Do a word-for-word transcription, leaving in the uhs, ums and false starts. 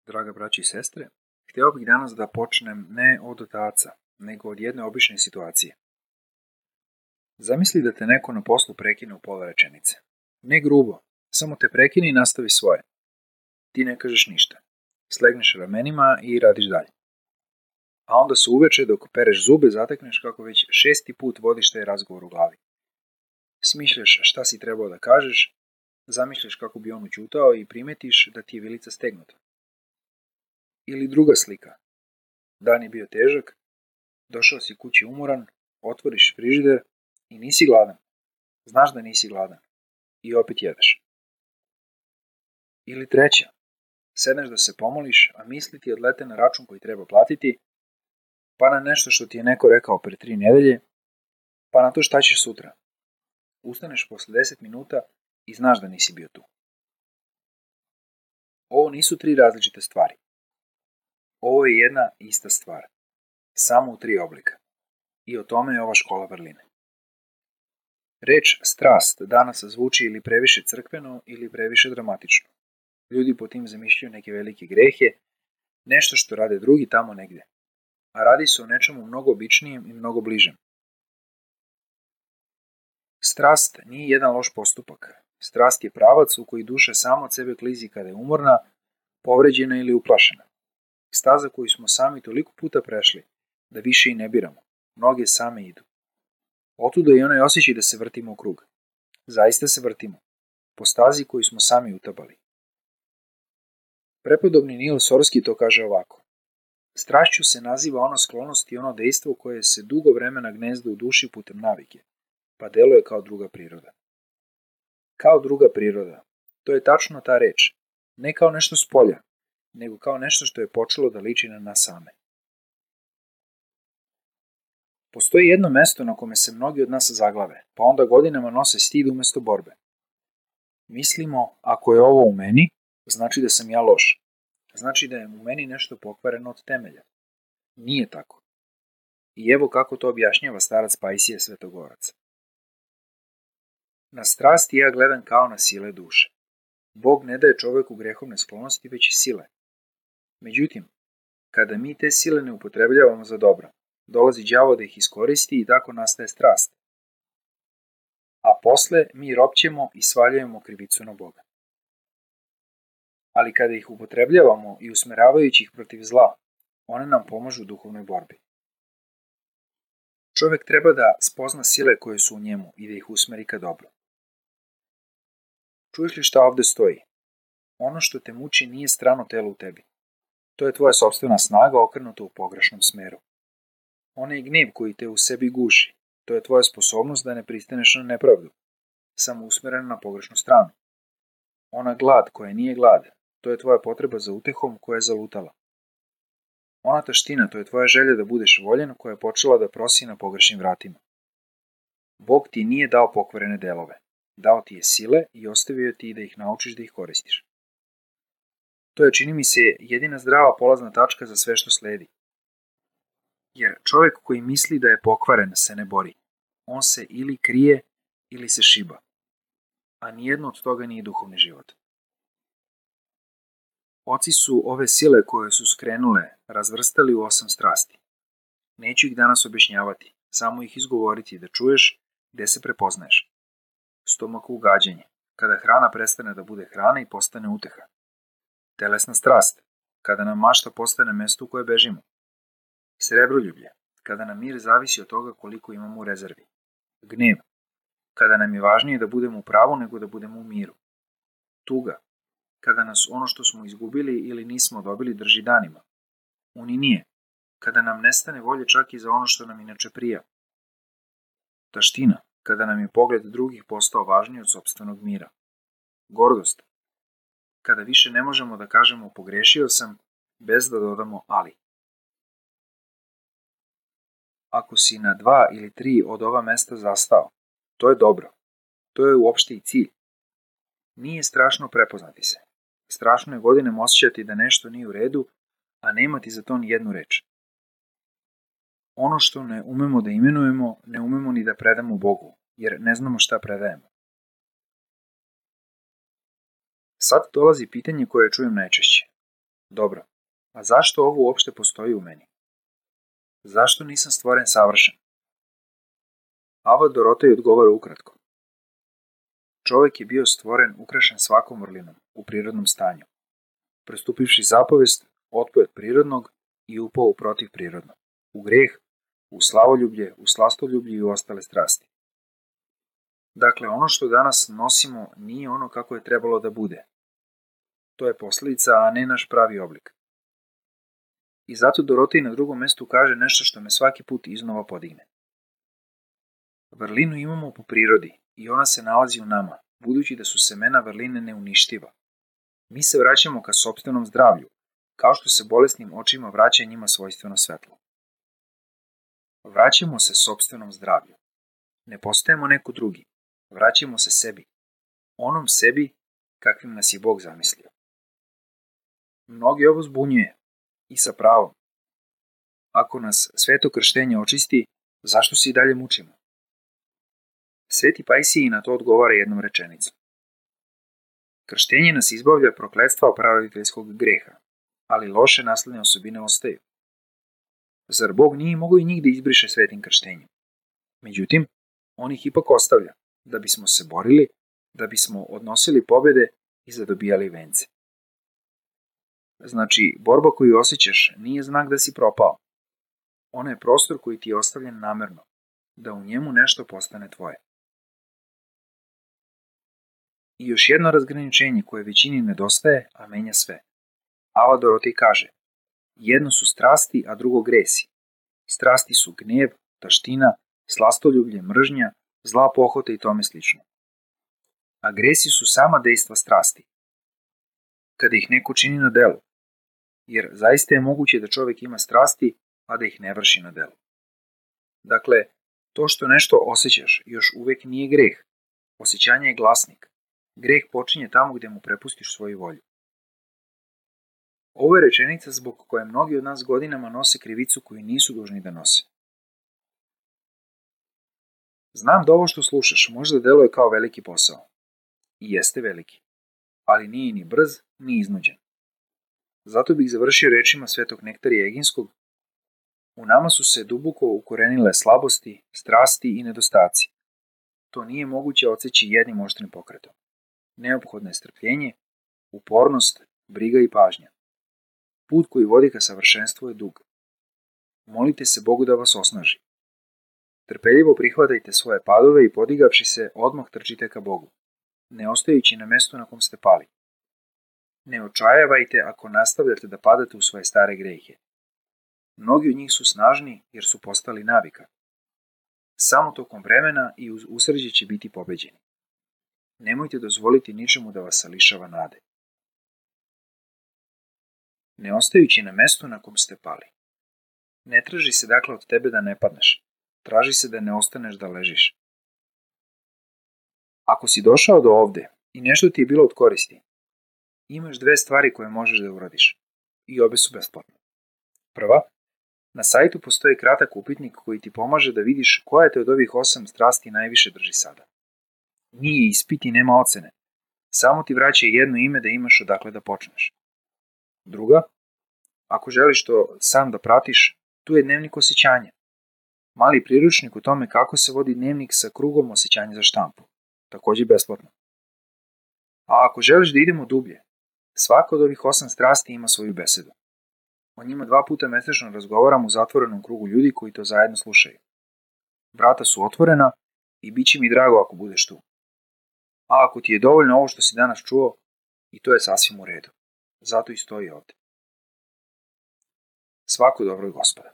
Draga braći i sestre, htio bih danas da počnem ne od otaca, nego od jedne obične situacije. Zamisli da te neko na poslu prekine u pola rečenice. Ne grubo, samo te prekine i nastavi svoje. Ti ne kažeš ništa. Slegneš ramenima i radiš dalje. A onda se uveče dok pereš zube zatekneš kako već šesti put vodiš taj razgovor u glavi. Smišljaš šta si trebao da kažeš, zamišljaš kako bi on ućutao i primetiš da ti je vilica stegnuta. Ili druga slika. Dan je bio težak, došao si kući umoran, otvoriš frižider i nisi gladan. Znaš da nisi gladan. I opet jedeš. Ili treća. Sedneš da se pomoliš, a misli ti odlete na račun koji treba platiti, pa na nešto što ti je neko rekao pre tri nedelje, pa na to šta ćeš sutra. Ustaneš posle deset minuta i znaš da nisi bio tu. Ovo nisu tri različite stvari. Ovo je jedna ista stvar, samo u tri oblika. I o tome je ova škola vrline. Reč strast danas zvuči ili previše crkveno ili previše dramatično. Ljudi po tim zamišljaju neke velike grehe, nešto što rade drugi tamo negde. A radi se o nečemu mnogo običnijem i mnogo bližem. Strast nije jedan loš postupak. Strast je pravac u koji duša sama od sebe klizi kada je umorna, povređena ili uplašena. Staza koju smo sami toliko puta prešli, da više i ne biramo. Mnoge same idu. Otuda i onaj osjećaj da se vrtimo u krug. Zaista se vrtimo. Po stazi koju smo sami utabali. Prepodobni Nil Sorski to kaže ovako. Strašću se naziva ona sklonost i ono dejstvo koje se dugo vremena gnezda u duši putem navike, pa deluje kao druga priroda. Kao druga priroda. To je tačno ta reč. Ne kao nešto s polja, nego kao nešto što je počelo da liči na nas same. Postoji jedno mesto na kome se mnogi od nas zaglave, pa onda godinama nose stid umesto borbe. Mislimo, ako je ovo u meni, znači da sam ja loš. Znači da je u meni nešto pokvareno od temelja. Nije tako. I evo kako to objašnjava starac Pajsije Svetogorac. Na strasti ja gledam kao na sile duše. Bog ne daje čoveku grehovne sklonosti, već i sile. Međutim, kada mi te sile ne upotrebljavamo za dobro, dolazi đavo da ih iskoristi i tako nastaje strast. A posle mi ropćemo i svaljujemo krivicu na Boga. Ali kada ih upotrebljavamo i usmeravajući ih protiv zla, one nam pomažu u duhovnoj borbi. Čovek treba da spozna sile koje su u njemu i da ih usmeri ka dobro. Čuješ li šta ovde stoji? Ono što te muči nije strano telo u tebi. To je tvoja sopstvena snaga okrenuta u pogrešnom smeru. Onaj gnev koji te u sebi guši, to je tvoja sposobnost da ne pristaneš na nepravdu, samo usmerena na pogrešnu stranu. Ona glad koja nije glad, to je tvoja potreba za utehom koja je zalutala. Ona taština, to je tvoja želja da budeš voljen koja je počela da prosi na pogrešnim vratima. Bog ti nije dao pokvarene delove, dao ti je sile i ostavio ti da ih naučiš da ih koristiš. To je, čini mi se, jedina zdrava polazna tačka za sve što sledi. Jer čovjek koji misli da je pokvaren se ne bori. On se ili krije ili se šiba. A nijedno od toga nije duhovni život. Oci su ove sile koje su skrenule razvrstali u osam strasti. Neću ih danas objašnjavati, samo ih izgovoriti da čuješ gde se prepoznaješ. Stomak ugađanje, kada hrana prestane da bude hrana i postane uteha. Telesna strast, kada nam mašta postane mesto u koje bežimo. Srebroljublje, kada nam mir zavisi od toga koliko imamo u rezervi. Gnev, kada nam je važnije da budemo u pravu nego da budemo u miru. Tuga, kada nas ono što smo izgubili ili nismo dobili drži danima. Uninije, kada nam nestane volje čak i za ono što nam inače prija. Taština, kada nam je pogled drugih postao važniji od sopstvenog mira. Gordost, kada više ne možemo da kažemo pogrešio sam, bez da dodamo ali. Ako si na dva ili tri od ova mesta zastao, to je dobro. To je uopšte i cilj. Nije strašno prepoznati se. Strašno je godinama osjećati da nešto nije u redu, a nemati za to ni jednu reč. Ono što ne umemo da imenujemo, ne umemo ni da predamo Bogu, jer ne znamo šta predajemo. Sad dolazi pitanje koje čujem najčešće. Dobro, a zašto ovo uopšte postoji u meni? Zašto nisam stvoren savršen? Ava Dorotej odgovara ukratko. Čovek je bio stvoren ukrašen svakom vrlinom u prirodnom stanju. Prestupivši zapovest, otpao od prirodnog i upao u protiv prirodnog, u greh, u slavoljublje, u slastoljublje i u ostale strasti. Dakle, ono što danas nosimo nije ono kako je trebalo da bude. To je posljedica, a ne naš pravi oblik. I zato Dorotej na drugom mestu kaže nešto što me svaki put iznova podigne. Vrlinu imamo po prirodi i ona se nalazi u nama, budući da su semena vrline neuništiva. Mi se vraćamo ka sopstvenom zdravlju, kao što se bolesnim očima vraća njima svojstveno svetlo. Vraćamo se sopstvenom zdravlju. Ne postajemo neko drugi. Vraćamo se sebi. Onom sebi kakvim nas je Bog zamislio. Mnogi ovo zbunjuje. I sa pravom. Ako nas sveto krštenje očisti, zašto se i dalje mučimo? Sveti Pajsiji na to odgovara jednom rečenicom. Krštenje nas izbavlja prokletstva praroditeljskog greha, ali loše nasledne osobine ostaju. Zar Bog nije mogao i njih da izbriše svetim krštenjem? Međutim, on ih ipak ostavlja, da bismo se borili, da bismo odnosili pobjede i zadobijali vence. Znači, borba koju osjećaš nije znak da si propao. Ona je prostor koji ti je ostavljen namerno, da u njemu nešto postane tvoje. I još jedno razgraničenje koje većini nedostaje, a menja sve. Ava Dorotej kaže, jedno su strasti, a drugo gresi. Strasti su gnev, taština, slastoljublje, mržnja, zla pohota i tome slično. A gresi su sama dejstva strasti. Kada ih neko čini na delu. Jer zaista je moguće da čovjek ima strasti, a da ih ne vrši na delu. Dakle, to što nešto osjećaš još uvek nije greh. Osjećanje je glasnik. Greh počinje tamo gdje mu prepustiš svoju volju. Ovo je rečenica zbog koje mnogi od nas godinama nose krivicu koju nisu dužni da nose. Znam da ovo što slušaš možda deluje kao veliki posao. I jeste veliki. Ali nije ni brz, ni iznuđen. Zato bih završio rečima svetog Nektarija Eginskog. U nama su se duboko ukorenile slabosti, strasti i nedostaci. To nije moguće odseći jednim oštrim pokretom. Neophodno je strpljenje, upornost, briga i pažnja. Put koji vodi ka savršenstvu je dug. Molite se Bogu da vas osnaži. Trpeljivo prihvatajte svoje padove i podigavši se, odmah trčite ka Bogu, ne ostajući na mestu na kom ste pali. Ne očajavajte ako nastavljate da padate u svoje stare grehe. Mnogi od njih su snažni jer su postali navika. Samo tokom vremena i uz usrđe će biti pobeđeni. Nemojte dozvoliti ničemu da vas lišava nade. Ne ostajući na mestu na kom ste pali. Ne traži se dakle od tebe da ne padneš. Traži se da ne ostaneš da ležiš. Ako si došao do ovde i nešto ti je bilo od koristi, imaš dve stvari koje možeš da uradiš. I obe su besplatne. Prva, na sajtu postoji kratak upitnik koji ti pomaže da vidiš koja te od ovih osam strasti najviše drži sada. Nije ispit i nema ocene. Samo ti vraća jedno ime da imaš odakle da počneš. Druga, ako želiš to sam da pratiš, tu je dnevnik osjećanja. Mali priručnik o tome kako se vodi dnevnik sa krugom osjećanja za štampu. Također besplatno. A ako želiš da idemo dublje, svaka od ovih osam strasti ima svoju besedu. O njima dva puta mesečno razgovaram u zatvorenom krugu ljudi koji to zajedno slušaju. Vrata su otvorena i bit će mi drago ako budeš tu. A ako ti je dovoljno ovo što si danas čuo, i to je sasvim u redu. Zato i stoji ovde. Svako dobro, Gospoda.